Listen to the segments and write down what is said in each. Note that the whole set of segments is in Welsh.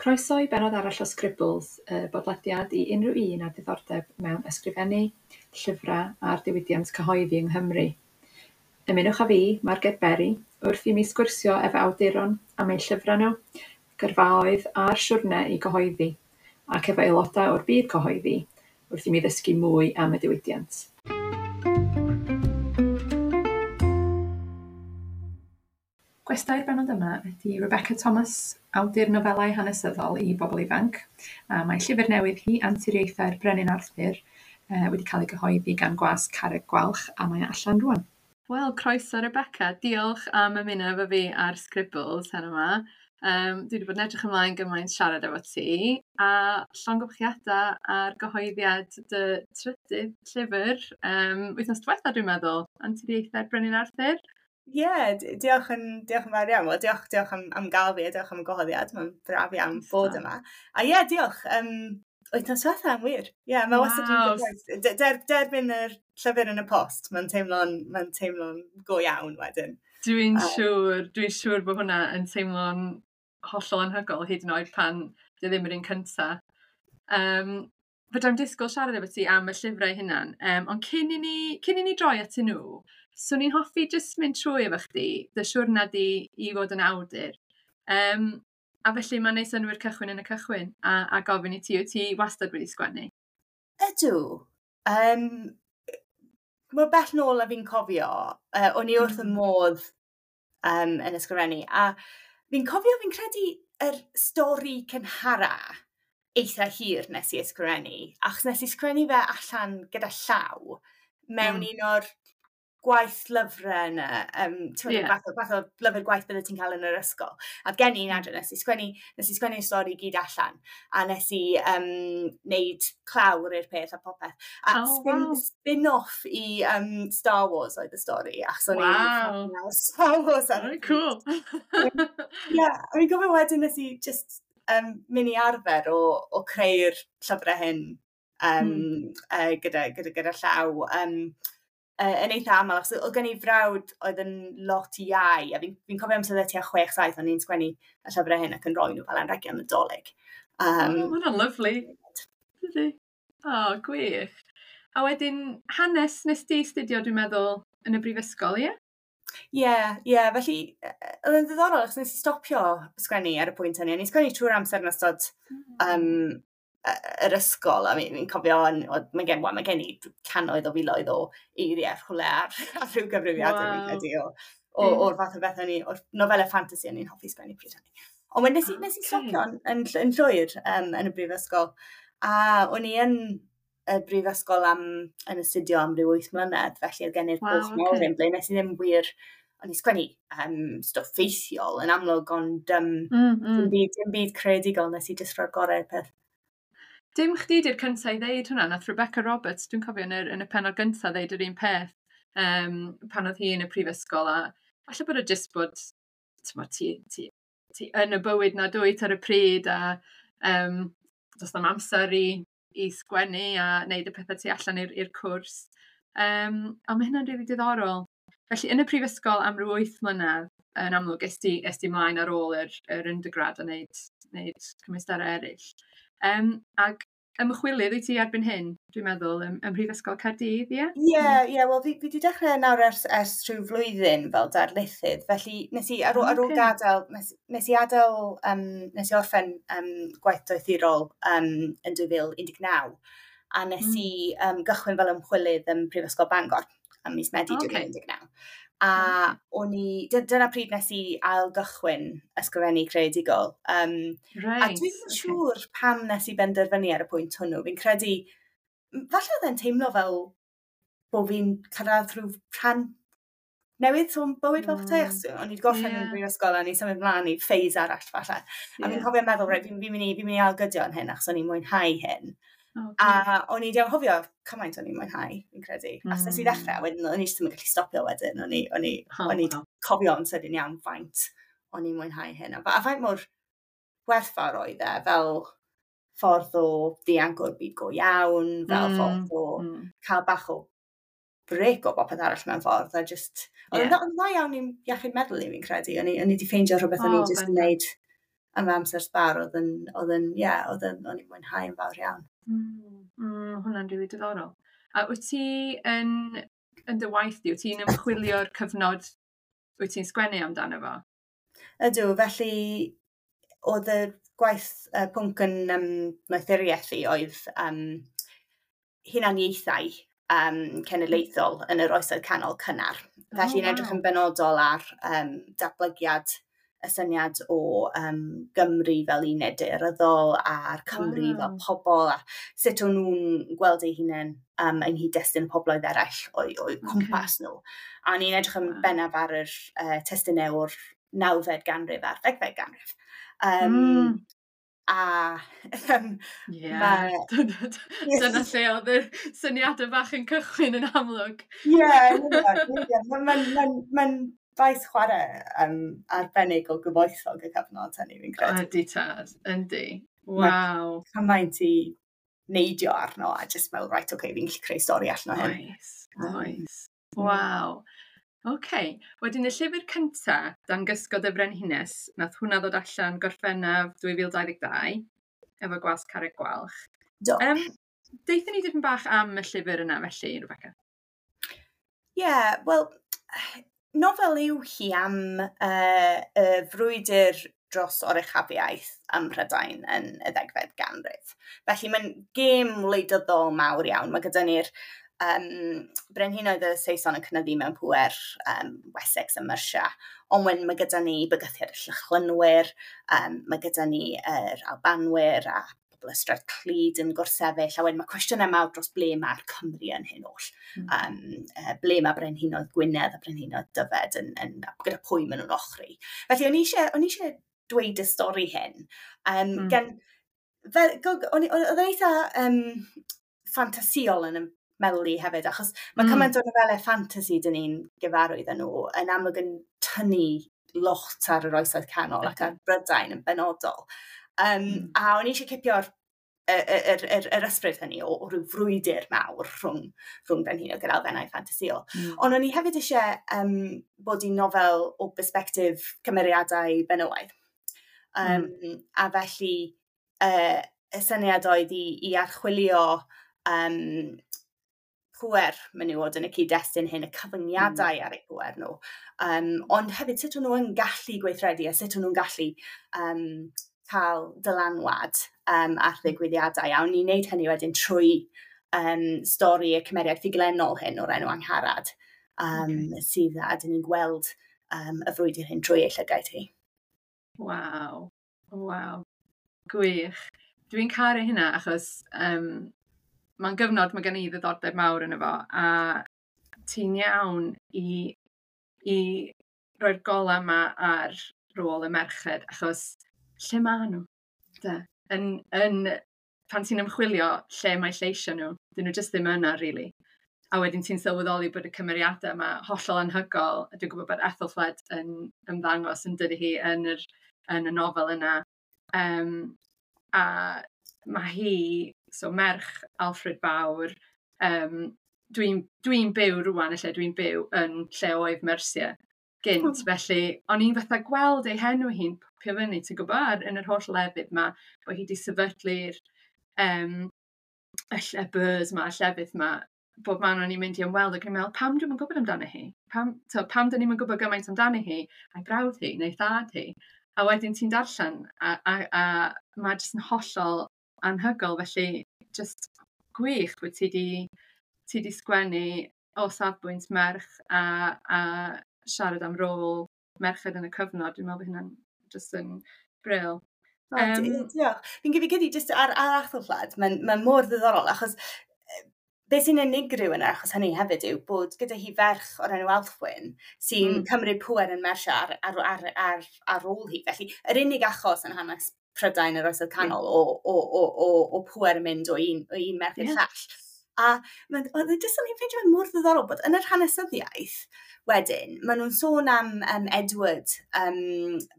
Croeso i bennod arall o Scribbles, y bodlediad i unrhyw un â diddordeb mewn ysgrifennu, llyfrau a'r diwydiant cyhoeddi yng Nghymru. Ymunwch â fi, Marged Berry, wrth i mi sgwrsio efo awduron am eu llyfrau nhw, gyrfaoedd a'r siwrne i gyhoeddi, ac efo aelodau o'r byd cyhoeddi, wrth i mi ddysgu mwy am y diwydiant. Gwestai'r bennod yma ydy Rebecca Thomas, awdur nofelau hanesyddol i bobl ifanc, a mae llyfr newydd hi, Anturiaethau'r Brenin Arthur, wedi cael ei gyhoeddi gan Gwasg Carreg Gwalch, a mae allan rŵan. Wel, croeso Rebecca, diolch am ymuno efo fi ar Scribbles heno 'ma. Dwi wedi bod yn edrych ymlaen gymaint siarad efo ti, a llongyfarchiadau ar gyhoeddiad dy trydydd llyfr, wythnos diwetha dwi'n meddwl, Anturiaethau'r Brenin Arthur. Ie, yeah, diolch yn fawr iawn. Wel, diolch am gael fi a diolch am y gwahoddiad. Mae'n braf iawn bod yma. A ie, yeah, diolch. Wythnos diwetha, yn wir. Ie, yeah, mae wastad yn derbyn yr llyfr yn y post. Mae'n teimlo'n go iawn wedyn. Dwi'n siŵr bod hwnna yn teimlo'n hollol anhygoel, hyd yn oed pan dy ddim yr un cynta. Fedra i'm disgwyl siarad efo ti am y llyfrau hunan, ond cyn i ni droi atyn nhw, swn i'n hoffi jyst mynd trwy efo chdi, dy siwrna di i fod yn awdur. A felly mae'n neud synnwyr cychwyn yn y cychwyn, a gofyn i ti, wyt ti wastad wedi sgwennu? Ydw. Mor bell nôl a fi'n cofio, o'n i wrth y modd yn ysgrifennu, a fi'n cofio, fi'n credu yr stori cynhara eitha hir nes i ysgrifennu, achos nes i sgrennu fe allan gyda llaw mewn un o'r gwaith lyfrau yna, fath o lyfr gwaith bydde ti'n cael yn yr ysgol. A gen i un adre, nes i sgwennu'r stori gyd allan, a nes i wneud clawr i'r peth a popeth. A spin-off i Star Wars oedd y stori, achos o'n i'n Star Wars. Very cool. Ie, a fi'n gofio wedyn nes i just mynd i arfer o creu'r llyfrau hyn gyda llaw. Yn eitha aml, achos oedd gen i frawd oedd yn lot iau, a fi'n cofio amser tua 6-7, o'n i'n sgwennu y llyfrau hyn ac yn rhoi nhw fel anrhegion Nadolig. Mae hwnna'n lyfli. O, gwych. A wedyn, hanes nes di studio, dwi'n meddwl, yn y brifysgol, ie? Ie, felly, oedd yn ddiddorol, achos nes i stopio sgwennu ar y pwynt hynny. O'n i'n sgwennu trwy'r amser yn ystod yr ysgol, a fi'n cofio, mae gen i cannoedd o filoedd o eiriau rhywle ar rhyw gyfrifiadur, fi'n credu, o'r fath o beth o'n i, o'r nofelau ffantasi o'n i'n hoffi sgwennu pryd hynny. Ond nes i stopio yn llwyr yn y brifysgol, a o'n i yn y brifysgol yn astudio am ryw 8 mlynedd, felly oedd gen i'r bwlch mawr hyn, ble nes i ddim wir, o'n i sgwennu stwff ffeithiol yn amlwg, ond dim byd creadigol, nes i jyst rhoi'r gorau i'r peth. Dim chdi di'r cyntaf i ddeud hwnna, nath Rebecca Roberts, dwi'n cofio yn y pennod gyntaf ddeud yr un peth pan oedd hi yn y prifysgol, a falle bod o jyst bod ti yn y bywyd na dwyt ar y pryd, a does na'm amser i sgwennu a wneud y pethau tu allan i'r cwrs. Ond mae hynna'n rili diddorol. Felly yn y prifysgol am ryw 8 mlynedd, yn amlwg, es ti mlaen ar ôl yr undergrad a wneud cymwysterau eraill. Ac ymchwilydd wyt ti erbyn hyn, dwi'n meddwl, ym Mhrifysgol Caerdydd, ie? Ie, wel, fi wedi dechrau nawr ers rhyw flwyddyn fel darlithydd, felly nes i ar ôl gadael, nes i adael, nes i orffen gwaith doethurol yn 2019, a nes i gychwyn fel ymchwilydd ym Mhrifysgol Bangor ym mis Medi 2019. A o'n i, dyna pryd nes i ail gychwyn ysgrifennu creadigol. A dwi'n siŵr pam nes i benderfynu ar y pwynt hwnnw. Fi'n credu, falle oedd e'n teimlo fel bod fi'n cyrraedd rhyw rhan newydd o'n bywyd fel petai. O'n i wedi gorffen yn brifysgol a o'n i'n symud mlaen i phase arall falle. A fi'n cofio meddwl, reit, fi'n mynd i ailgydio yn hyn achos o'n i'n mwynhau hyn. A o'n i wedi anghofio cymaint o'n i'n mwynhau, fi'n credu. A nes i ddechrau, wedyn o'n i jyst ddim yn gallu stopio wedyn. O'n i cofio yn sydyn iawn faint o'n i'n mwynhau hyn. A faint mor werthfawr oedd e, fel ffordd o ddianc o'r byd go iawn, fel ffordd o cael bach o break o bopeth arall mewn ffordd. A just, oedd yn dda iawn i'n iechyd meddwl i, fi'n credu. O'n i wedi ffeindio rhywbeth o'n i jyst yn gwneud am amser sbar oedd yn, oedd yn, ie, oedd yn, o'n i'n mwynhau yn fawr iawn. Hwnna'n rili diddorol. A wyt ti yn dy waith di, wyt ti'n ymchwilio'r cyfnod wyt ti'n sgwennu amdano fo? Ydw, felly oedd y gwaith pwnc yn doethuriaeth i oedd hunaniaethau cenedlaethol yn yr Oesoedd Canol cynnar. Felly yn edrych yn benodol ar datblygiad y syniad o Gymru fel uned daearyddol a'r Cymru fel pobl a sut o'n nhw'n gweld eu hunain yng nghyd-destun pobloedd eraill o'u cwmpas nhw. A o'n i'n edrych yn bennaf ar yr testunau o'r 9fed ganrif a'r 10fed ganrif. A Dyna lle oedd y syniadau bach yn cychwyn yn amlwg. Ie, mae'n faes chwarae arbennig o gyfoethog y cyfnod hynny, fi'n credu. Ydy tad, yndi. Waw. Mae cymaint i neidio arno a just meddwl, right, okay, fi'n gallu creu stori allan o hyn. Oes, oes. Waw. OK. Wedyn y llyfr cynta, Dan Gysgod y Frenhines, nath hwnna ddod allan Gorffennaf 2022, efo Gwasg Carreg Gwalch. Do. Deutha ni dipyn bach am y llyfr yna felly, Rebecca. Ie, yeah, wel, nofel yw hi am y frwydr dros oruchafiaeth ym Mhrydain yn y 10fed ganrif. Felly mae'n gêm wleidyddol mawr iawn. Mae gyda ni'r brenhinoedd y Saeson yn cynyddu mewn pŵer, Wessex a Mercia, ond wedyn mae gyda ni bygythiad y Llychlynwyr, mae gyda ni yr Albanwyr a pobl Ystrad Clud yn gwrthsefyll, a wedyn mae cwestiynau mawr dros ble mae'r Cymru yn hyn oll. Ble mae brenhinoedd Gwynedd a brenhinoedd Dyfed yn gyda pwy maen nhw'n ochri. Felly o'n i eisiau dweud y stori hyn. Gan, fel, oedd yn eitha ffantasïol yn y meddwl i hefyd, achos mae cymaint o nofelau ffantasi dyn ni'n gyfarwydd â nhw yn amlwg yn tynnu lot ar yr Oesoedd Canol ac ar Brydain yn benodol. A o'n i eisiau cipio'r yr ysbryd hynny o ryw frwydr mawr rhwng brenhinoedd gyda elfennau ffantasïol. Ond o'n i hefyd eisiau bod i'n nofel o bersbectif cymeriadau benywaidd. A felly y syniad oedd i archwilio pŵer menywod yn y cyd-destun hyn, y cyfyngiadau ar eu pŵer nhw. Ond hefyd sut o'n nhw yn gallu gweithredu a sut o'n nhw'n gallu cael dylanwad ar ddigwyddiadau. A o'n i'n neud hynny wedyn trwy stori y cymeriad ffuglenol hyn o'r enw Angharad, sydd a dyn ni'n gweld y frwydr hyn trwy ei llygaid hi. Waw, waw, gwych. Dwi'n caru hynna achos mae'n gyfnod mae gen i ddiddordeb mawr yn efo, a ti'n iawn i roi'r golau yma ar rôl y merched, achos lle maen nhw? De? Pan ti'n ymchwilio lle mae lleisio nhw, dyn nhw jyst ddim yna, really. A wedyn ti'n sylweddoli bod y cymeriadau yma hollol anhygoel, a dwi'n gwybod bod Ethelfled yn ymddangos yn dydy hi yn y nofel yna. A mae hi, so merch Alfred Fawr, dwi'n byw rŵan, y lle dwi'n byw yn lle oedd Mercia gynt, felly o'n i'n fatha gweld ei henw hi'n popio fyny, ti'n gwybod, yn yr holl lefydd ma, bod hi wedi sefydlu'r y burghs ma, y llefydd ma, bob man o'n i'n mynd i ymweld ac o'n i'n meddwl, pam dwi'm yn gwybod amdano hi? Pam dyn ni'm yn gwybod gymaint amdano hi, a'i brawd hi, neu thad hi? A wedyn ti'n darllen, a mae jyst yn hollol anhygoel, felly jyst gwych bod ti di sgwennu o safbwynt merch a siarad am rôl merched yn y cyfnod. Dwi'n meddwl bod hynna'n jyst yn bril. Diolch. Fi'n credu jyst ar Ethelfled, mae'n mor ddiddorol, achos beth sy'n unigryw yn achos hynny hefyd yw bod gyda hi ferch o'r enw Elfwyn sy'n cymryd pŵer yn Mercia ar ôl hi. Felly, yr unig achos yn hanes Prydain yr Oesoedd Canol o pŵer yn mynd o un merch i'r llall. A mae'n, oedd e jyst yn i'n ffeindio fe'n mor ddiddorol bod yn yr hanesyddiaeth wedyn, maen nhw'n sôn am Edward,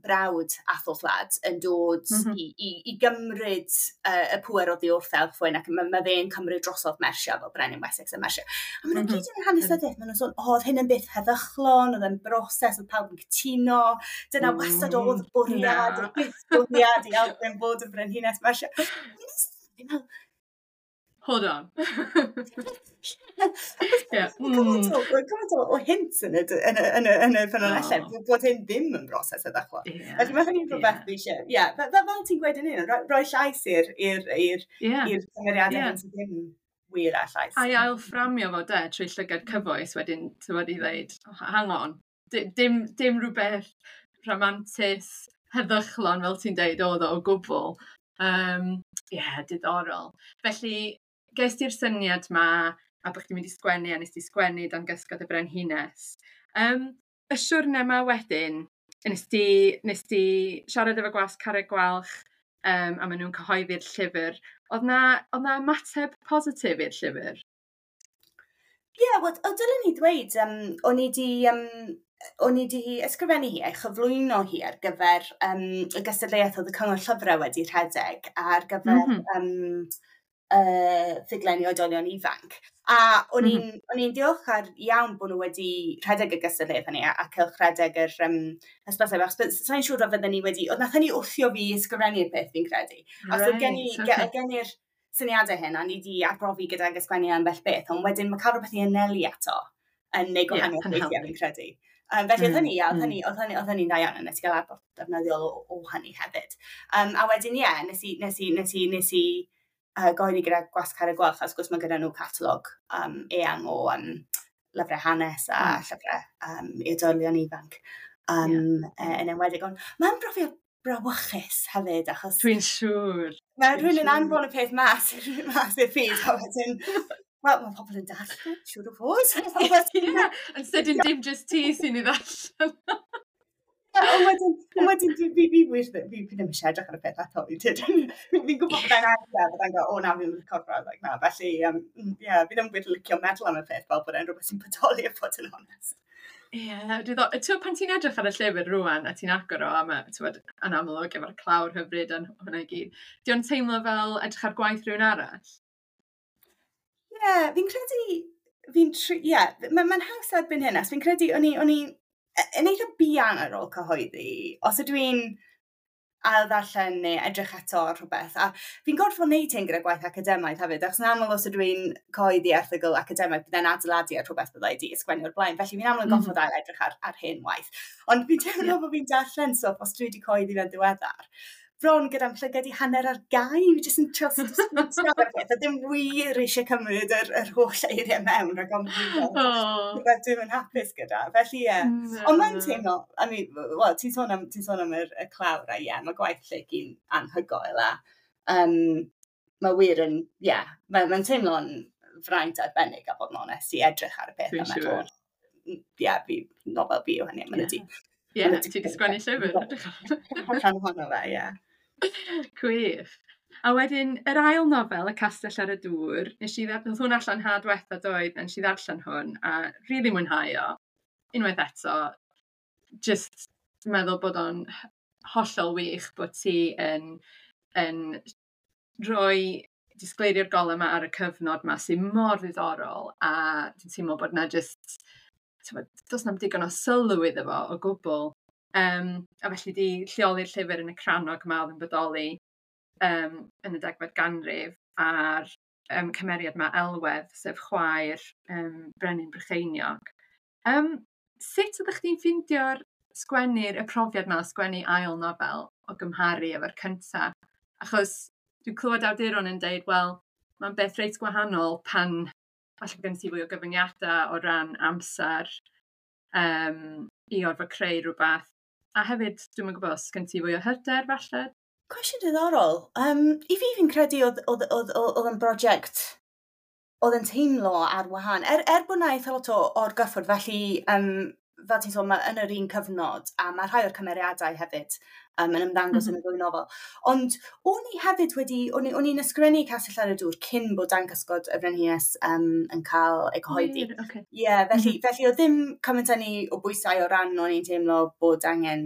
brawd Athelflaed, yn dod i gymryd y pŵer oddi wrth Elfwyn, ac mae fe'n cymryd drosodd Mersia fel brenin Wessex a Mersia. A maen nhw'n gyd yn yr hanesyddiaeth, maen nhw'n sôn, o, oedd hyn yn beth heddychlon, oedd e'n broses, oedd pawb yn cytuno, dyna wastad oedd y bwriad, y byth bwriad i Elfwyn fod yn brenhines Mersia. Fi'n meddwl, Hold on. Gymaint o hints yn y ffynonellau bod hyn ddim yn broses heddychlon. Felly mae hynny'n rhywbeth fi eisiau. Ie, fel ti'n gweud yn un, rhoi llais i'r cymeriadau hyn sydd ddim wir â llais. A i ail-fframio fo de, trwy llygad cyfoes wedyn, ti'n wedi dweud, oh, hang on, dim rhywbeth rhamantus, heddychlon fel ti'n deud oedd o o gwbl. Ie, diddorol. Felly, ges ti'r syniad ma, a bod chdi'n mynd i sgwennu, a nes ti sgwennu Dan Gysgod y Brenhines. Y siwrne ma wedyn, nes ti siarad efo Gwasg Carreg Gwalch, a maen nhw'n cyhoeddi'r llyfr. Oedd na ymateb positif i'r llyfr? Ie, yeah, wel, o dylen ni ddweud, o'n i di ysgrifennu hi a'i chyflwyno hi ar gyfer y gystadleuaeth oedd y Cyngor Llyfrau wedi rhedeg ar gyfer ffuglen i oedolion ifanc. A o'n i'n mm -hmm. diolchgar iawn bod nhw wedi rhedeg y gystadleuaeth hynny a cylchredeg yr hysbyseb, achos sa'n siŵr o fydden ni wedi... Oedd nath hynny wthio fi i ysgrifennu'r peth, fi'n credu. Achos oedd gen i'r syniadau hyn, a ni wedi arbrofi gydag ysgrifennu ambell beth, ond wedyn mae cael rhywbeth i anelu ato yn neud gwahaniaeth weithiau, fi'n credu. Felly oedd hynny, ia, oedd hynny'n dda iawn, a nes i gael adborth defnyddiol o hynny hefyd. A wedyn, ie, nes i gyhoeddi gyda Gwasg Carreg Gwalch, a wrth gwrs mae gyda nhw catalog eang o lyfrau hanes a llyfrau i oedolion ifanc yn enwedig. Ond mae'n brofiad brawychus hefyd, achos Dwi'n siŵr. mae rhywun yn anfon y peth mas i'r byd, a wedyn, wel, mae pobl yn darllen, siŵr o fod. Ie, yn sydyn dim just ti sy'n ei ddarllen. Ond wedyn, fi wir, fi ddim eisiau edrych ar y peth eto, fi'n gwybod bod e'n agor, byddai'n go, "O na, fi'n recordo," like, na, felly, yeah, fi ddim wir licio meddwl am y peth fel bod e'n rhywbeth sy'n bodoli, a bod yn onest. Ie, yeah, diddorol. Ti'n pan ti'n edrych ar y llyfr rwan a ti'n agor o, a mae, ti'n yn amlwg efo'r clawr hyfryd a hwnna i gyd, di o'n teimlo fel edrych ar gwaith rhywun arall? Ie, yeah, fi'n credu, ie, yeah, mae'n haws erbyn hyn, as fi'n credu, o'n i yn eitha buan ar ôl cyhoeddi, os ydw i'n ail ddarllen neu edrych eto ar rhywbeth. A fi'n gorfod wneud hyn gyda gwaith academaidd hefyd, achos yn aml os ydw i'n cyhoeddi erthygl academaidd, byddai'n adeiladu ar rhywbeth byddai di ysgrifennu o'r blaen. Felly fi'n aml yn gorfod ail edrych ar hen waith. Ond fi'n teimlo bod fi'n darllen stwff os dwi wedi cyhoeddi fe'n ddiweddar, bron gyda'm llygad i hanner ar gau, fi jyst yn trio ar y peth, a ddim wir eisiau cymryd yr holl eiriau mewn rhag ofn fi rhywbeth dwi'm yn hapus gyda. Felly ie. Yeah. Ond mae'n teimlo, I mean, wel, ti'n sôn am y clawr a ie, yeah, mae gwaith Lleucu'n anhygoel a mae wir yn, ie, yeah, mae'n teimlo'n fraint arbennig a bod yn onest i edrych ar y peth Dwi'n a meddwl, siŵr. Ie, yeah, fi, nofel fi yw hynny, mae'n ydi. Ie, ti wedi sgwennu llyfr. Edrych ar. Rhan ohono fe, ie. Gwych. A wedyn, yr ail nofel, Y Castell ar y Dŵr, nath hwn allan ha diwetha doedd, a nes i ddarllen hwn, a rili mwynhau o. Unwaith eto, just meddwl bod o'n hollol wych bod ti yn rhoi disgleirio'r golau yma ar y cyfnod yma sy'n mor ddiddorol, a dwi'n teimlo bod na just, t'mod, does na'm digon o sylw iddo fo o gwbl. A felly di lleoli'r llyfr yn y crannog yma oedd yn bodoli yn y 10fed ganrif a'r cymeriad yma Elwedd, sef chwaer Brenin Brycheiniog. Sut ydych chi'n ffeindio'r sgwennu'r y profiad yma o sgwennu ail nofel o gymharu efo'r cyntaf? Achos dwi'n clywed awduron yn deud, wel, mae'n beth reit gwahanol pan falle gen ti fwy o gyfyngiadau o ran amser i orfod creu rhywbeth. A hefyd, dwi'm yn gwybod os gen ti fwy o hyder falle? Cwestiwn diddorol. I fi, fi'n credu oedd yn brosiect oedd yn teimlo ar wahân. Er bod na eitha lot o orgyffwrdd, felly fel ti'n sôn, mae yn yr un cyfnod, a mae rhai o'r cymeriadau hefyd yn ymddangos yn y ddwy nofel. Ond o'n i hefyd wedi, o'n i'n ysgrifennu Castell ar y Dŵr cyn bod Dan Cysgod y Frenhines yn cael ei cyhoeddi. Okay. Yeah, felly oedd ddim cymaint â ni o bwysau o ran o'n i'n teimlo bod angen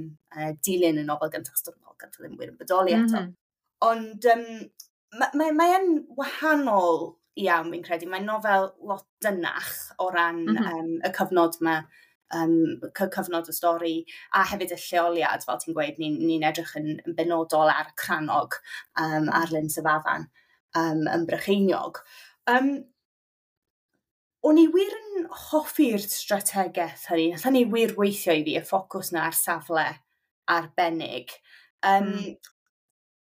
dilyn y nofel gyntaf, achos doedd y nofel gyntaf ddim wir yn bodoli eto. Ond mae yn wahanol iawn, fi'n credu. Mae'n nofel lot dynach o ran y cyfnod yma, cyfnod y stori, a hefyd y lleoliad, fel ti'n gweud, ni'n ni edrych yn benodol ar y cranog ar Lyn Syfafan yn Brycheiniog. O'n i wir yn hoffi'r strategaeth hynny. Nath hynny wir weithio i fi, y ffocws na ar safle arbennig.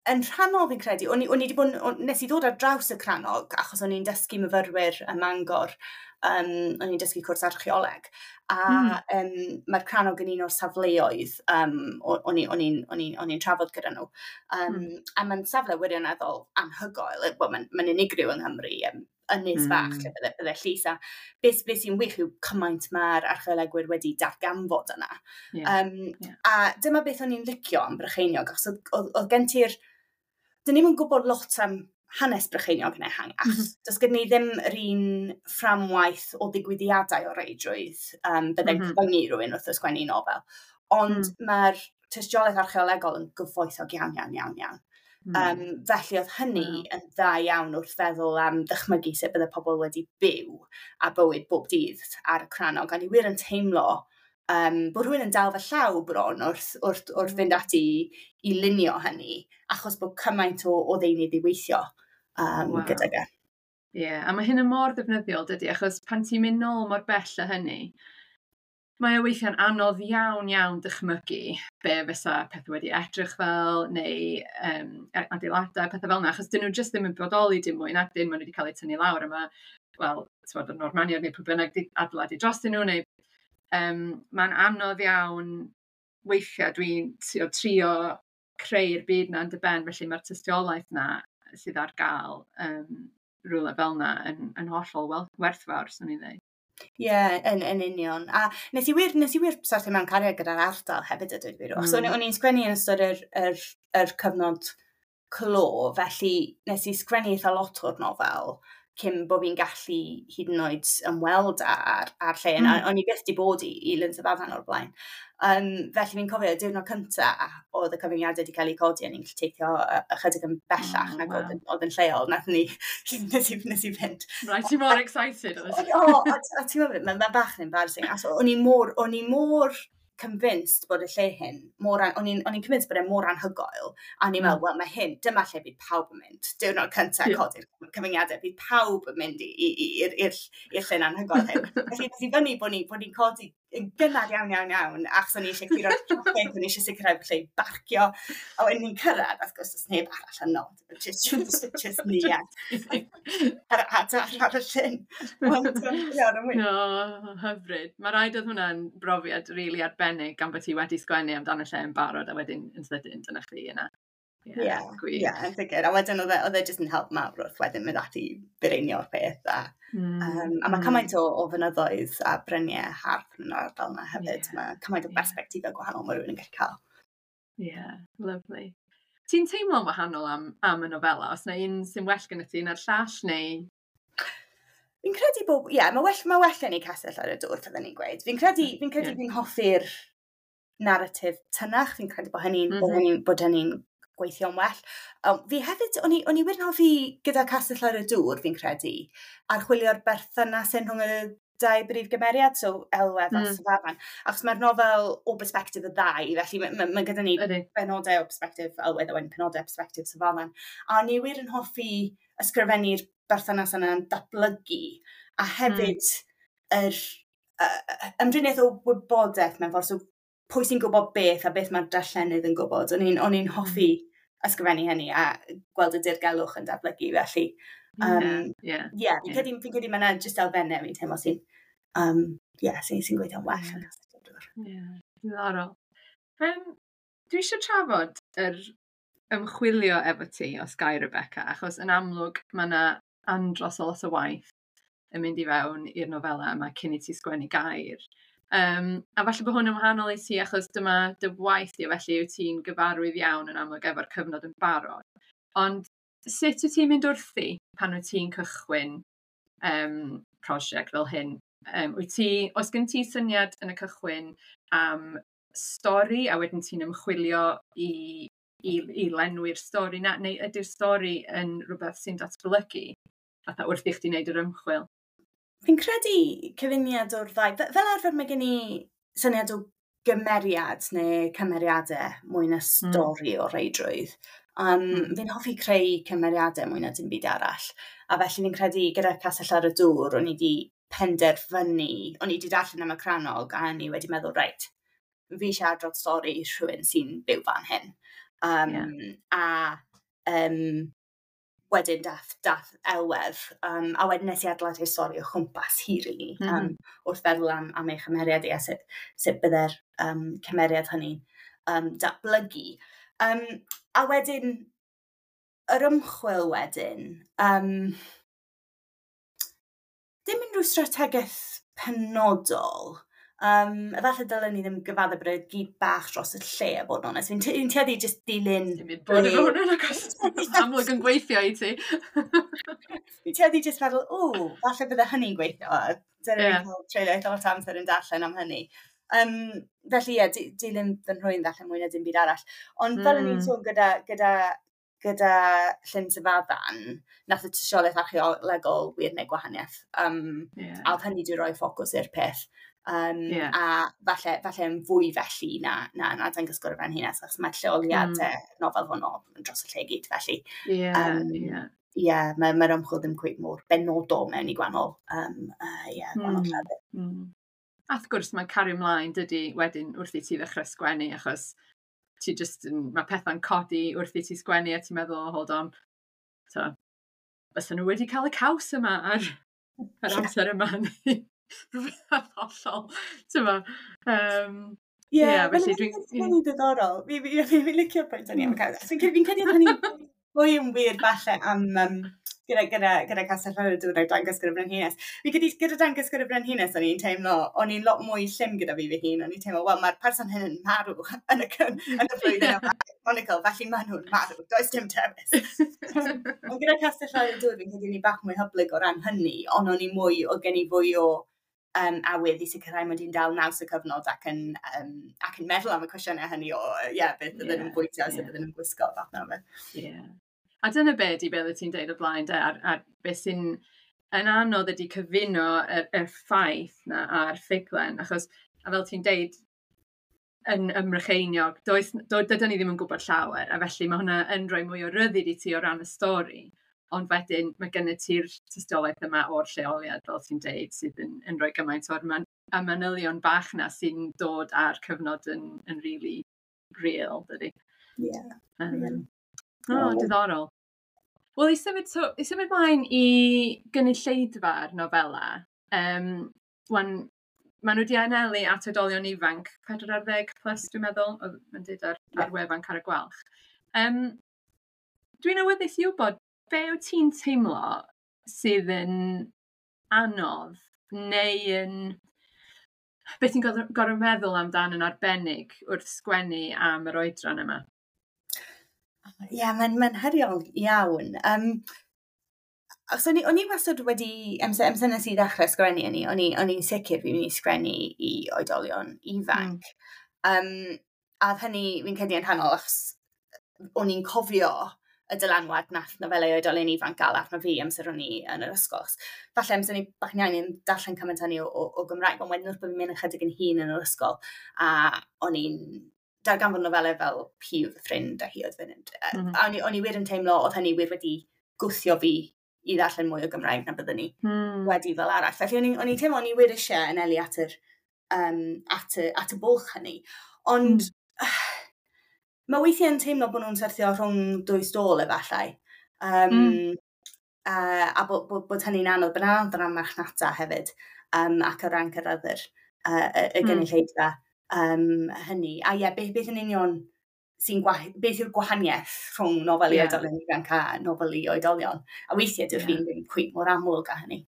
Yn rhannol fi'n credu, o'n i 'di bod, nes i ddod ar draws y cranog achos o'n i'n dysgu myfyrwyr ym Mangor, o'n i'n dysgu cwrs archeoleg, a mae'r cranog yn un o'r safleoedd o'n i'n trafod gyda nhw. A mae'n safle wirioneddol anhygoel, well, mae'n unigryw yng Nghymru, ynys fach lle bydde llys, a beth sy'n wych yw cymaint mae'r archeolegwyr wedi darganfod yna. A dyma beth o'n i'n licio am Brycheiniog, achos oedd gen ti'r... Dyn ni'm yn gwybod lot am hanes Brycheiniog yn ehangach. Does gyda ni ddim yr un fframwaith o ddigwyddiadau o reidrwydd bydde'n cyfyngu rhywun wrth ysgrifennu nofel. Ond mae'r tystiolaeth archeolegol yn gyfoethog iawn, iawn, iawn, iawn. Felly oedd hynny yn dda iawn wrth feddwl am ddychmygu sut bydde pobl wedi byw a bywyd bob dydd ar y cranog. A ni wir yn teimlo bod rhywun yn dal fy llaw bron wrth fynd ati i lunio hynny, achos bod cymaint o ddeunydd i weithio gydag e. Ie, yeah, a mae hyn yn mor ddefnyddiol, dydy, achos pan ti'n mynd nôl mor bell â hynny, mae o weithiau'n anodd iawn, iawn dychmygu be fysa pethau wedi edrych fel, neu adeiladau, pethau fel yna, achos dyn nhw jyst ddim yn bodoli dim mwy, nag dyn, maen nhw wedi cael eu tynnu lawr yma, wel, ti'n y Normaniaid neu pwy bynnag di adeiladu drostyn nhw, neu mae'n anodd iawn weithiau dwi'n trio creu'r byd na yn dy ben, felly mae'r tystiolaeth na sydd ar gael rhywle fel na yn hollol werthfawr, swn i'n dweud. Ie, yeah, yn union. A nes i wir syrthio mewn cariad gyda'r ardal hefyd, a dweud gwir. So, o'n i'n sgwennu yn ystod yr cyfnod clo, felly nes i sgwennu eitha lot o'r nofel cyn bod fi'n gallu hyd yn oed ymweld ar lle. O'n i byth di bod i Lyn Syfafan o'r blaen. Felly fi'n cofio y diwrnod cynta oedd y cyfyngiadau wedi cael eu codi a ni'n gallu teithio ychydig yn bellach nag oedd yn lleol. Nath ni, nes i fynd. Right, ti mor excited. O, a ti'n meddwl, mae'n bach yn embarrassing. A so, o'n i mor convinced bod y lle hyn, o'n i'n convinced bod e mor anhygoel, a o'n i'n meddwl, wel, mae hyn, dyma lle bydd pawb yn mynd. Diwrnod cyntaf codi'r cyfyngiadau, bydd pawb yn mynd i'r llyn anhygoel hyn. Felly, nes i fyny bod ni'n codi yn gynnar iawn, iawn, iawn, achos o'n i eisiau clirio'r traffic, o'n i eisiau sicrhau bod lle i barcio. A wedyn ni'n cyrraedd, wrth gwrs, does neb arall yno. Just ni ar y llyn. Ond, ie, oedd o'n wych. No, hyfryd. Mae rhaid oedd hwnna'n brofiad rili arbennig gan bod ti wedi sgwennu amdano lle yn barod a wedyn yn sydyn dyna chdi yna. Ie, yeah, yeah, yn sicr. A wedyn oedd e jyst yn help mawr wrth wedyn mynd ati fireinio'r peth. A mae cymaint o fynyddoedd a bryniau hardd yn yr ardal yna hefyd. Mae cymaint o berspectifau gwahanol mae rhywun yn gallu cael. Ie, yeah, lovely. Ti'n teimlo'n wahanol am y nofela? Os yna un sy'n well gyda ti na'r llall, neu? Fi'n credu bod, ie, yeah, mae well gen i Castell ar y Dŵr, fydden ni'n gweud. Fi'n credu fi'n hoffi'r narratif tynach. Fi'n credu bod hynny'n bod hynny gweithio'n well. Fi hefyd, o'n i wir yn hoffi gyda Castell ar y Dŵr, fi'n credu, archwilio'r berthynas yn rhwng y dau brif gymeriad, so Elwedd a Syfafan. Achos mae'r nofel o perspectif y ddau, felly mae gyda ni benodau o perspectif Elwedd a wedyn penodau o perspectif Syfafan. A o'n i wir yn hoffi ysgrifennu'r berthynas yna'n datblygu, a hefyd yr ymdriniaeth o wybodaeth mewn ffordd, so pwy sy'n gwybod beth a beth mae'r darllenydd yn gwybod. O'n i'n hoffi ysgrifennu hynny a gweld y dirgelwch yn datblygu, felly. Yeah, fi'n credu mae yna jyst elfennau fi'n teimlo sy'n yeah, sy gweithio'n well yn Castell Dŵr. Yeah, diddorol. Dwi eisiau trafod yr ymchwilio efo ti os gai, Rebecca, achos yn amlwg mae yna andros o lot o waith yn mynd i fewn i'r nofela yma cyn i ti sgwennu gair. A falle bod hwn yn wahanol i ti achos dyma dy waith di, felly wyt ti'n gyfarwydd iawn yn amlwg efo'r cyfnod yn barod. Ond sut wyt ti'n mynd wrthi pan wyt ti'n cychwyn prosiect fel hyn? Oes gen ti syniad yn y cychwyn am stori a wedyn ti'n ymchwilio i lenwi'r stori na, neu ydy'r stori yn rhywbeth sy'n datblygu fatha wrth i chdi wneud yr ymchwil? Fi'n credu cyfuniad o'r ddau. Fel arfer mae gen i syniad o gymeriad neu cymeriadau mwy na stori o reidrwydd. Fi'n hoffi creu cymeriadau mwy na dim byd arall. A felly fi'n credu gyda Castell ar y Dŵr, o'n i wedi penderfynu, o'n i wedi darllen am y crannog a o'n i wedi meddwl, reit, fi eisiau adrodd stori rhywun sy'n byw fan hyn. A wedyn dath Elwedd, a wedyn nes i adeiladu stori o chwmpas hi, really, wrth feddwl am ei chymeriad i a sut bydde'r cymeriad hynny datblygu. A wedyn, yr ymchwil wedyn, dim unrhyw strategaeth penodol. Efallai dylen ni ddim gyfadde bod y gyd bach dros y lle a bod yn onest. Fi'n tueddu jyst dilyn... Dim byd bod efo hwnna, achos amlwg yn gweithio i ti. Fi'n tueddu jyst meddwl, o, falle bydde hynny'n gweithio. Dyna ni'n cael treulio eitha lot o amser yn darllen am hynny. Felly ie, dilyn fy nhrwyn falle mwy na dim byd arall. Ond fel o'n i'n sôn gyda Llyn Syfaddan, nath y tystiolaeth archeolegol wir wneud gwahaniaeth. A oedd hynny wedi rhoi ffocws i'r peth. A falle yn fwy felly na Dangysgwr y Frenhines, achos mae lleoliadau nofel hwnnw dros y lle i gyd, felly. Ie, mae'r ymchwil ddim cweit mor benodol mewn i gwahanol, gwahanol llefydd. A wrth gwrs, mae'n cario ymlaen, dydy, wedyn wrth i ti ddechrau sgwennu, achos ti just yn, mae pethau'n codi wrth i ti sgwennu a ti'n meddwl, oh, hold on, so, fysa nhw wedi cael y caws yma ar yr amser yma. Rhywbeth hollol, ti'n ma. Ie, felly dwi'n... Mae'n diddorol. Fi'n licio'r pwynt hynny am y caws. Fi'n credu oedd hynny fwy yn wir falle am gyda Castell ar y Dŵr a Dangysgwr y Brenhines. Fi'n credu gyda Dangysgwr y Brenhines o'n i'n teimlo, o'n i'n lot mwy llym gyda fi fy hun. O'n i'n teimlo, wel, mae'r person hyn yn marw yn y flwyddyn yma. Chronicle, felly maen nhw'n marw, does dim dewis. Ond gyda Castell ar y Dŵr, fi'n credu o'n i bach mwy hyblyg o ran hynny, ond o'n i mwy, oedd gen i fwy o awydd i sicrhau mod i'n dal naws y cyfnod ac yn meddwl am y cwestiynau hynny o, beth bydden nhw'n bwyta, sut bydden nhw'n gwisgo, fath na beth. Ie. A dyna be di beth wyt ti'n deud o blaen, de, ar beth sy'n yn anodd ydi cyfuno yr ffaith na a'r ffuglen, achos, a fel ti'n deud, yn ym Mrycheiniog, dydyn ni ddim yn gwybod llawer, a felly mae hwnna yn rhoi mwy o ryddid i ti o ran y stori, ond wedyn mae gennyt ti'r tystiolaeth yma o'r lleoliad, fel ti'n deud, sydd yn rhoi gymaint o'r a manylion bach na sy'n dod â'r cyfnod yn really real, dydy. Ie. O, diddorol. Wel, i symud mlaen i gynulleidfa'r nofela, wan, maen nhw wedi anelu at oedolion ifanc, 40 plus, dwi'n meddwl, oedd yn dweud ar wefan Carreg Gwalch. Dwi'n awyddus i wybod, be wyt ti'n teimlo sydd yn anodd neu yn... Beth ti'n gorfod meddwl amdan yn arbennig wrth sgwennu am yr oedran yma? Ie, yeah, mae'n heriol iawn. Achos o'n i wastad wedi, amser nes i ddechrau sgwennu, o'n i'n sicr fi'n mynd i sgwennu i oedolion ifanc. A oedd hynny, fi'n credu yn rhannol, achos o'n i'n cofio y dylanwad nath nofelau oedolion ifanc gael arno fi amser o'n i yn yr ysgol. Falle amser o'n i bach yn iau yn darllen cymaint hynny o Gymraeg, ond wedyn wrth bod fi'n mynd ychydig yn hŷn yn yr ysgol, a o'n i'n darganfod nofelau fel Hi oedd fy ffrind a hi oedd fy ffrind. A o'n i wir yn teimlo oedd hynny wir wedi gwthio fi i ddarllen mwy o Gymraeg na byddwn ni wedi fel arall. Felly o'n i'n teimlo o'n i wir eisiau anelu at y bwlch hynny. Ond mae weithiau yn teimlo bod nhw'n syrthio rhwng dwy stôl efallai. A bod hynny'n anodd, bod anodd o ran marchnata hefyd, ac o ran cyrraedd y gynulleidfa hynny. A ie, beth yn union sy'n beth yw'r gwahaniaeth rhwng nofel i oedolion ifanc a nofel i oedolion? A weithiau dyw'r ffin ddim cweit mor amlwg â hynny.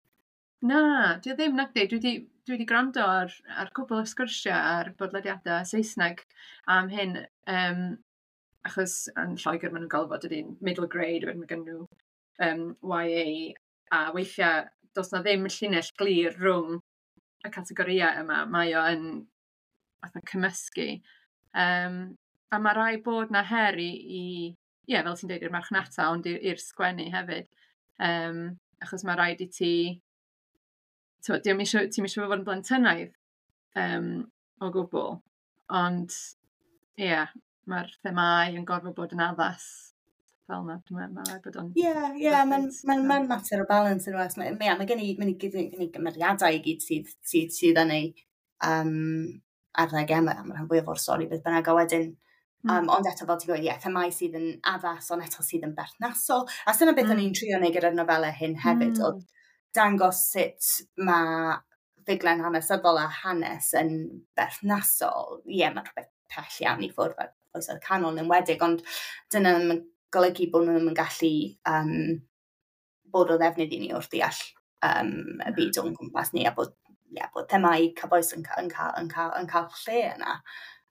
Na, dwi ddim, nag di. Dwi wedi Dwi wedi gwrando ar cwbl o sgwrsiau ar bodlediadau Saesneg am hyn, achos yn Lloegr maen nhw'n galw fo dydy'n middle grade, wedyn mae gen nhw YA, a weithiau does na ddim llinell glir rhwng y categorïau yma, mae o yn fatha cymysgu. A mae rhaid bod na her i ie, fel ti'n deud, i'r marchnata, ond i'r sgwennu hefyd. Achos mae rhaid i ti... Ti'm isio fod yn blentynaidd o gwbl, ond ie, yeah, mae'r themâu yn gorfod bod yn addas fel yna, dwi'n meddwl, mae'n rhaid bod o'n... Ie, mae'n mater o balance yn oes. Mae gen i gymeriadau i gyd sydd yn ei arddegau, am rhan fwyaf o'r stori beth bynnag, a wedyn, ond eto fel ti'n gweud, ie, themâu sydd yn addas, ond eto sydd yn berthnasol. A dyna beth o'n i'n trio wneud gyda'r nofelau hyn hefyd, oedd dangos sut mae ffuglen hanesyddol a hanes yn berthnasol. Ie, mae'n rhywbeth pell iawn i ffwrdd fel oesoedd canol yn enwedig, ond dyna ddim yn golygu bod nhw ddim yn gallu bod o ddefnydd i ni wrth ddeall y byd o'n gwmpas ni, a bod, yeah, bod themâu cyfoes yn cael lle yna.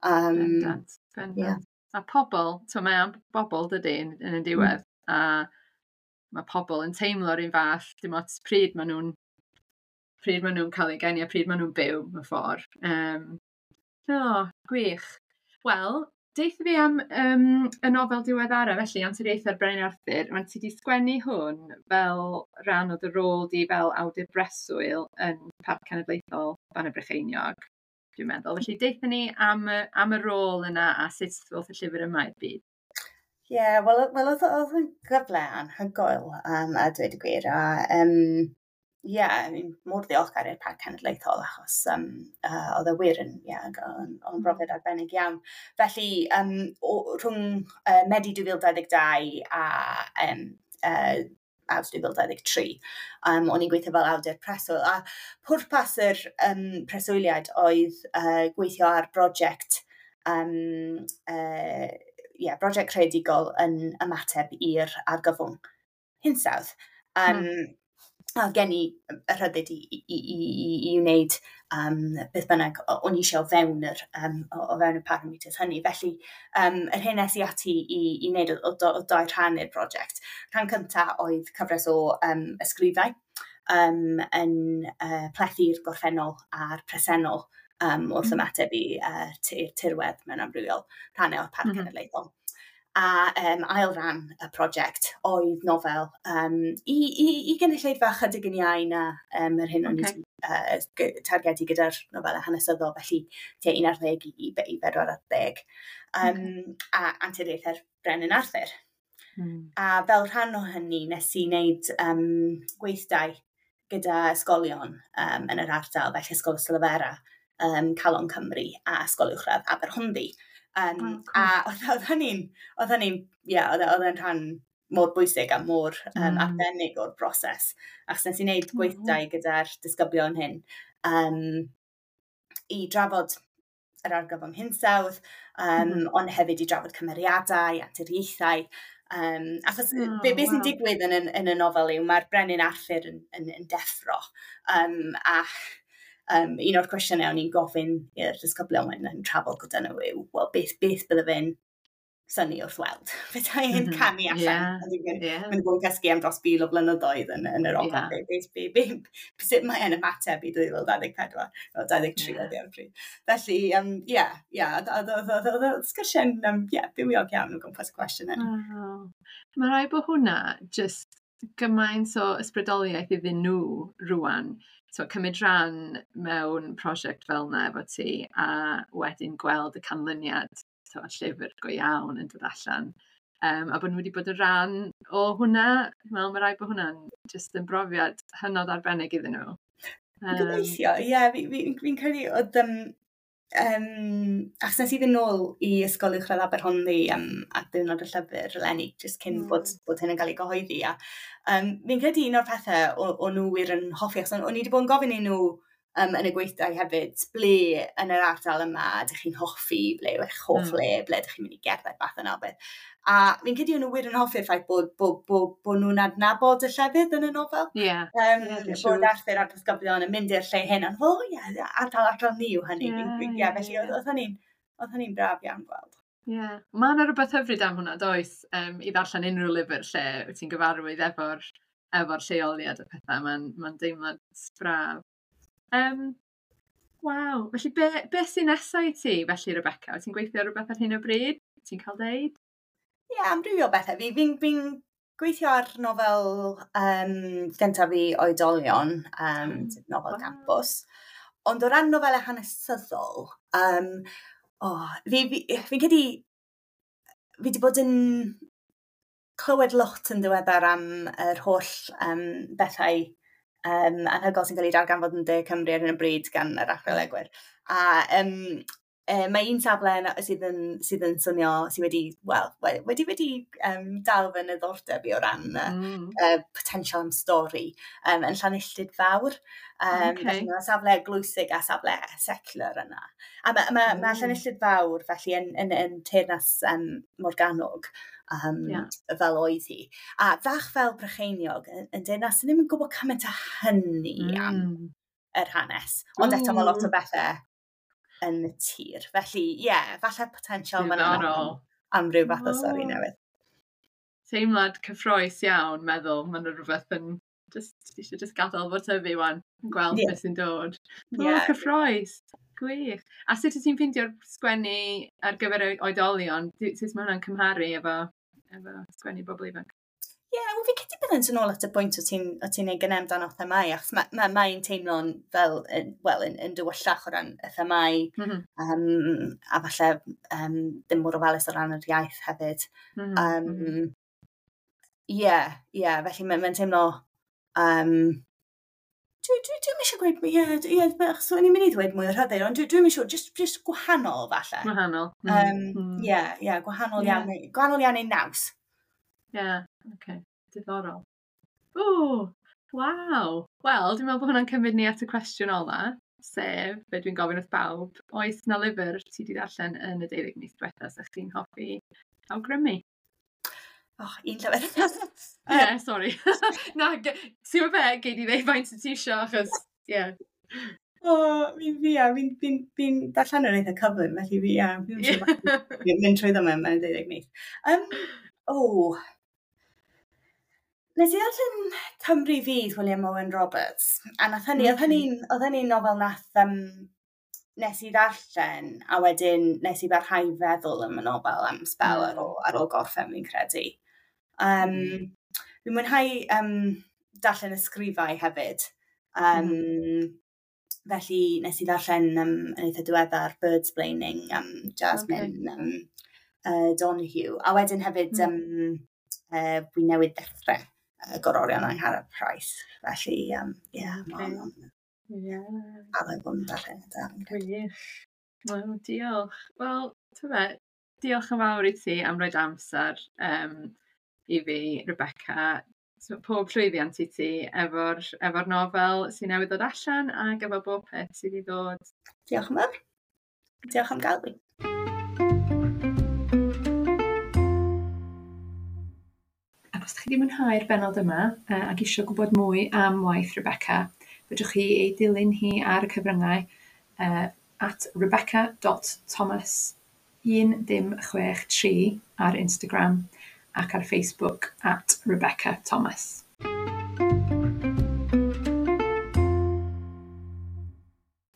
Bendant, bendant. Yeah. A pobl, mae am bobl dydy yn y diwedd, a mae pobl yn teimlo'r un fath, dim ots pryd maen nhw'n cael eu geni a pryd maen nhw'n byw mewn ffordd. Gwych. Wel, deutha fi am y nofel diweddara, felly, Anturiaethau'r Brenin Arthur. Mae'n ti 'di sgwennu hwn fel rhan o dy rôl di fel awdur breswyl yn Parc Cenedlaethol Bannau Brycheiniog, dwi'n meddwl. Felly, deutha ni am y rôl yna a sut ddoth y llyfr yma i'r byd. Ie, yeah, wel oedd yn gyfle anhygoel, a dweud y gwir. A, ie, mor ddiolchgar i'r Parc Cenedlaethol achos oedd e wir yn, yn brofiad arbennig iawn. Felly, rhwng Medi 2022 a Awst 2023, o'n i'n gweithio fel awdur preswyl. A pwrpas yr preswyliad oedd gweithio ar brosiect brosiect creadigol yn ymateb i'r argyfwng hinsawdd. A gen i y rhyddid i wneud beth bynnag o'n i eisiau o fewn y parameters hynny. Felly, yr hyn es i ati i wneud o dau rhan i'r brosiect. Rhan cyntaf oedd cyfres o ysgrifau yn plethu'r gorffennol a'r presennol wrth ymateb i'r tirwedd mewn amrywiol rhannau o'r Parc Cenedlaethol. A ail ran y prosiect oedd nofel i gynulleidfa chydig yn iau na yr hyn o'n i targedu gyda'r nofelau hanesyddol, felly tua 11 i 40. A Anturiaethau'r Brenin Arthur. A fel rhan o hynny, nes i wneud gweithdai gyda ysgolion yn yr ardal, felly Ysgol Ystalyfera, Calon Cymru a Ysgol Uwchradd Aberhonddu. Cool. A oedd hynny'n, oedd e'n rhan mor bwysig a mor arbennig o'r broses. Achos nes i wneud gweithdai gyda'r disgyblion hyn i drafod yr argyfwng hinsawdd, ond hefyd i drafod cymeriadau, anturiaethau. Achos be sy'n digwydd yn y nofel yw mae'r Brenin Arthur yn deffro. Un o'r cwestiynau o'n i'n gofyn i'r disgyblion yn trafod gyda nhw yw, wel, beth bydde fe'n synnu wrth weld? Bydde e'n camu allan. Mae'n bod yn cysgu am dros 1,000 o flynyddoedd yn yr ogledd. Sut mae e'n ymateb i 2024, o 23 oedd ar y pryd. Felly, oedd sgyrsiau'n bywiog iawn o gwmpas y cwestiwn yna. Mae rhaid bod hwnna just gymaint o ysbrydoliaeth iddyn nhw rŵan. So, cymryd rhan mewn prosiect fel yna efo ti a wedyn gweld y canlyniad, so, llyfr go iawn yn dod allan. A bod nhw wedi bod yn rhan o hwnna, wel, mae rhaid bod hwnna'n just yn brofiad hynod arbennig iddyn nhw. Gobeithio, ie, fi'n credu oedd... achos nes i fynd nôl i Ysgol Uwchradd Aberhonddu ar ddiwrnod y llyfr eleni, jyst cyn bod hyn yn cael ei gyhoeddi. A, fi'n credu un o'r pethau o'n nhw wir yn hoffi, achos o'n i wedi bod yn gofyn i nhw yn y gweithdai hefyd, ble yn yr ardal yma ydych chi'n hoffi, ble yw eich hoff le, ble ydych chi'n mynd i gerdded, fath yna o beth. A fi'n credu nhw wir yn hoffi'r ffaith bod nhw'n adnabod y llefydd yn y nofel. Bod Arthur a'r disgyblion yn mynd i'r lle hyn, ond o ie, ardal ni yw hynny. Felly oedd hynny'n braf iawn gweld. Ie, yeah. Mae yna rhywbeth hyfryd am hwnna, does, i ddarllen unrhyw lyfr lle wyt ti'n gyfarwydd efo'r lleoliad a pethau. Mae'n deimlad braf. Waw, felly be sy'n nesaf i ti, felly, Rebecca? Wyt ti'n gweithio ar rhywbeth ar hyn o bryd? Ti'n cael deud? Ie, yeah, amrywio bethau. Fi'n gweithio ar nofel gyntaf fi oedolion, nofel campus. Ond o ran nofelau hanesyddol, fi'n credu fi wedi bod yn clywed lot yn ddiweddar am yr holl bethau anhygoel sy'n cael ei darganfod yn De Cymru ar hyn o bryd gan yr archeolegwyr. A mae un safle sydd yn swnio, sydd wedi dal fy niddordeb i o ran potensial am stori, yn Llanilltud Fawr. Felly mae safle eglwysig a safle secular yna. A mae Llanilltud Fawr felly yn teyrnas Morgannwg, fel oedd hi. A fach fel Brycheiniog yn deyrnas sydd ddim yn gwybod cymaint o hynny am yr hanes. Ond eto mae lot o bethau yn y tir. Felly, ie, falle potensial fan yna am ryw fath o stori newydd. Teimlad cyffrous iawn, meddwl, mae'n rhywbeth yn just, eisiau just gadael fo tyfu wan, gweld beth sy'n dod. Cyffrous, gwych. A sut wyt ti'n ffeindio'r sgwennu ar gyfer oedolion? Sut mae hwnna'n cymharu efo sgwennu bobl ifanc? Ie, yeah, wel fi'n credu bydd yn ôl at y bwynt o ti'n ei gynnau amdano themâu, achos mae'n teimlo'n fel, yn dywyllach o ran y themâu, a falle ddim mor ofalus o ran yr iaith hefyd. Ie, felly mae'n teimlo... Dwi'm eisiau gweud, ie, achos o'n i'n mynd i ddweud mwy o rhyddid, ond dwi'm eisiau, just gwahanol falle. Gwahanol. Ie, gwahanol iawn, gwahanol iawn ei naws. Ie, oce, diddorol. O, waw. Wel, dwi'n meddwl bod hwnna'n cymryd ni at y cwestiwn ola, sef, be dwi'n gofyn wrth bawb, oes na lyfr ti wedi darllen yn y 12 mis diwetha sa chdi'n hoffi awgrymu? Oh, un llyfr. Ie, sori. Na, ti'n gwybod be, gei di ddeud faint ti isio, achos, ie. O, fi'n darllen yn eitha cyflym, felly fi'n mynd trwy ddim mewn 12 mis. Nes i ddarllen Cymru Fydd Wiliam Owen Roberts, a nath hynny, oedd hynny'n nofel nath nes i ddarllen, a wedyn nes i barhau feddwl am y nofel am sbel ar ôl gorffen, fi'n credu. Fi'n mwynhau darllen ysgrifau hefyd. Felly nes i ddarllen yn eitha diweddar Birdsplaining, Jasmine Donahue, a wedyn hefyd fi newydd ddechrau Gororion Angharad Price. Felly, mae'n addo bod yn darllen. Gwych. Wel, diolch. Wel, diolch yn fawr i ti am roed amser i fi, Rebecca. So, pob llwyddiant i ti efo'r nofel sy'n newydd ddod allan ac efo bob peth sydd i ddod. Diolch yn fawr. Diolch am gael fi. Ac os ydych chi wedi mwynhau'r bennod yma ac eisiau gwybod mwy am waith Rebecca, fedrwch chi ei dilyn hi ar y cyfryngau at rebecca.thomas1063 ar Instagram ac ar Facebook at Rebecca Thomas.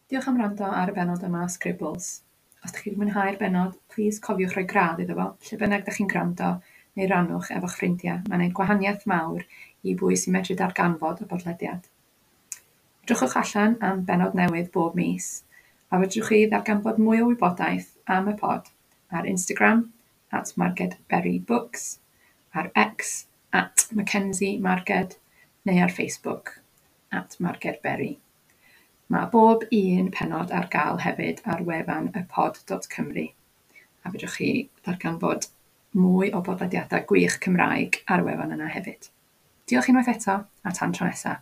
Diolch am wrando ar y bennod yma o Scribbles. Os ydych chi wedi mwynhau'r bennod, plis cofiwch rhoi gradd iddo fo, lle bynnag ydych chi'n gwrando, neu rannwch efo'ch ffrindiau. Mae'n gwneud gwahaniaeth mawr i bwy sy'n medru darganfod y podlediad. Edrychwch allan am bennod newydd bob mis, a fedrwch chi ddarganfod mwy o wybodaeth am y pod ar Instagram @MargedBerryBooks, ar X @MackenzieMarged neu ar Facebook @MargedBerry. Mae bob un pennod ar gael hefyd ar wefan ypod.cymru, a fedrwch chi ddarganfod mwy o bodlediadau gwych Cymraeg ar y wefan yna hefyd. Diolch unwaith eto, a tan tro nesaf.